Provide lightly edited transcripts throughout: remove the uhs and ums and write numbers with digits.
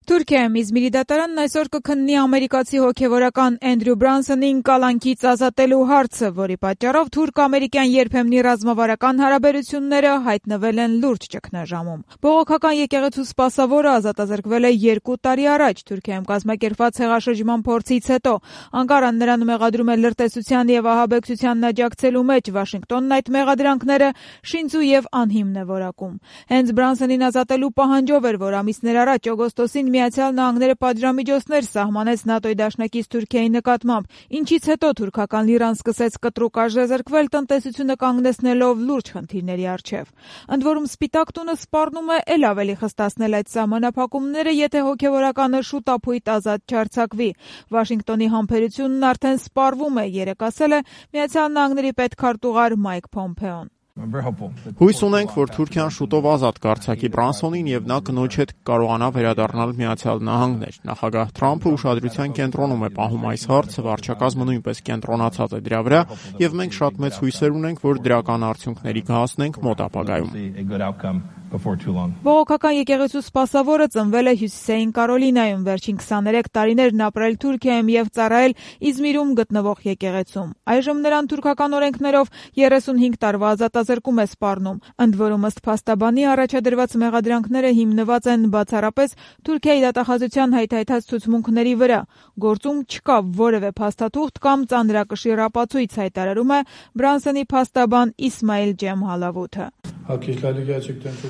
Թուրքիայում Իզմիրի դատարանն այսօր կքննի ամերիկացի հոգևորական Էնդրյու Բրանսոնին կալանքից ազատելու հարցը, որի պատճառով թուրք-ամերիկյան երբեմնի ռազմավարական հարաբերությունները հայտնվել են լուրջ ճգնաժամում։ Բողոքական եկեղեցու սպասավորը ազատազրկվել է 2 տարի առաջ Թուրքիայում կազմակերպված հեղաշրջման փորձից հետո։ Անկարան նրան մեղադրում է լրտեսության եւ ահաբեկչությանն աջակցելու մեջ, Վաշինգտոնն այդ մեղադրանքները շինծու եւ անհիմն է որակում։ Հենց Բրանսոնին ազատելու պահանջով էր, որ ամիսներ առաջ օգոստոսին Միացյալ Նահանգները պատժամիջոցներ սահմանեց ՆԱՏՕ-ի դաշնակից Թուրքիայի նկատմամբ, ինչից հետո թուրքական լիրան սկսեց կտրուկ արժեզրկվել, տնտեսությունը կանգնեցնելով լուրջ խնդիրների առջև։ Ընդ որում Սպիտակ տունը սպառնում է էլ ավելի խստացնել այդ սահմանափակումները, եթե հոգևորականը շուտապույտ ազատ չարձակվի։ Վաշինգտոնի համբերությունն արդեն սպառվում է, երեկ ասել է Միացյալ Նահանգների պետքարտուղար Մայք Փոմփեոն։ Հույս ունենք, որ Թուրքիան շուտով ազատ կարձակի Բրանսոնին եւ նա կնոջ հետ կարողանա վերադառնալ Միացյալ Նահանգներ։ Նախագահ Թրամփը ուշադրության կենտրոնում է պահում այս հարցը, վարչակազմը նույնպես կենտրոնացած է դրա վրա եւ մենք շատ մեծ հույսեր ունենք, որ դրական արդյունքների կհասնենք մոտ ապագայում։ Բողոքական եկեղեցու սպասավորը ծնվել է Հյուսիսային Կարոլինայում, վերջին 23 տարիներն ապրել Թուրքիայում եւ ծառայել Իզմիրում գտնվող եկեղեցում։ Այժմ նրան թուրքական օրենքներով 35 տարվա ազատազրկում է սպառնում։ Ընդ որում ըստ փաստաբանի առաջադրված մեղադրանքները հիմնված են բացառապես Թուրքիայի դատախազության հայթայթած ցուցմունքների վրա։ Գործում չկա որևէ փաստաթուղթ կամ ծանրակշիռ ապացույց, հայտարարում է Բրանսոնի փաստաբան Իսմայիլ Ջեմհալավութը։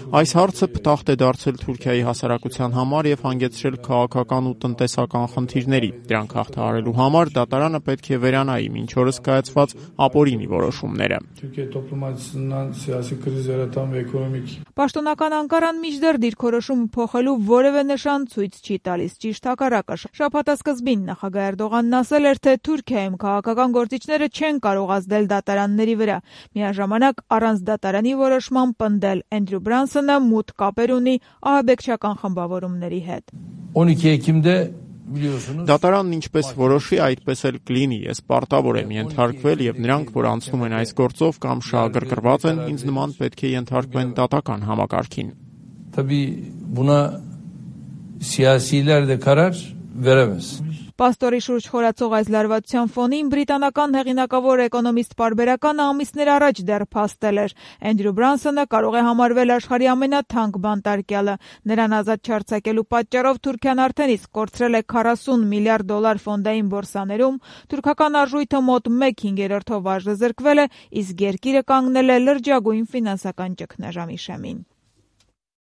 Այս հարցը փտախտ է դարձել Թուրքիայի հասարակության համար եւ հանգեցրել քաղաքական ու տնտեսական խնդիրների։ Դրանք հաղթահարելու համար դատարանը պետք է վերանայի մինչ օրս կայացված ապօրինի որոշումները։ Պաշտոնական Անկարան մինչդեռ դիրքորոշումը փոխելու որևէ նշան ցույց չի տալիս, ճիշտ հակառակը։ Շաբաթասկզբին նախագահ Էրդողանն ասել էր, թե Թուրքիայում քաղաքական գործիչները չեն կարող ազդել դատարանների վրա։ Միաժամանակ առանց դատարանի որոշման պնդել Էնդրյու Բրանսոնը մութ կապեր ունի ահաբեկչական խմբավորումների հետ։ 12 Էքիմդե Դատարանն ինչպես որոշի, այդպես էլ կլինի։ Ես պարտավոր եմ ենթարկվել եւ նրանք, որ անցնում են այս գործով կամ շահագրգռված են, ինձ նման պետք է ենթարկվեն դատական համակարգին։ Tabii buna siyasiler de karar veremez. Պաստորի շուրջ խորացող այս լարվածության ֆոնին բրիտանական հեղինակավոր էկոնոմիստ պարբերականը ամիսներ առաջ դեռ փաստել էր։ Էնդրյու Բրանսոնը կարող է համարվել աշխարհի ամենաթանկ բանտարկյալը։ Նրան ազատ չարձակելու պատճառով Թուրքիան արդեն իսկ կորցրել է 40 միլիարդ դոլար ֆոնդային բորսաներում, թուրքական արժույթը մոտ 1/5-ով արժեզրկվել է, իսկ երկիրը կանգնել է լրջագույն ֆինանսական ճգնաժամի շեմին։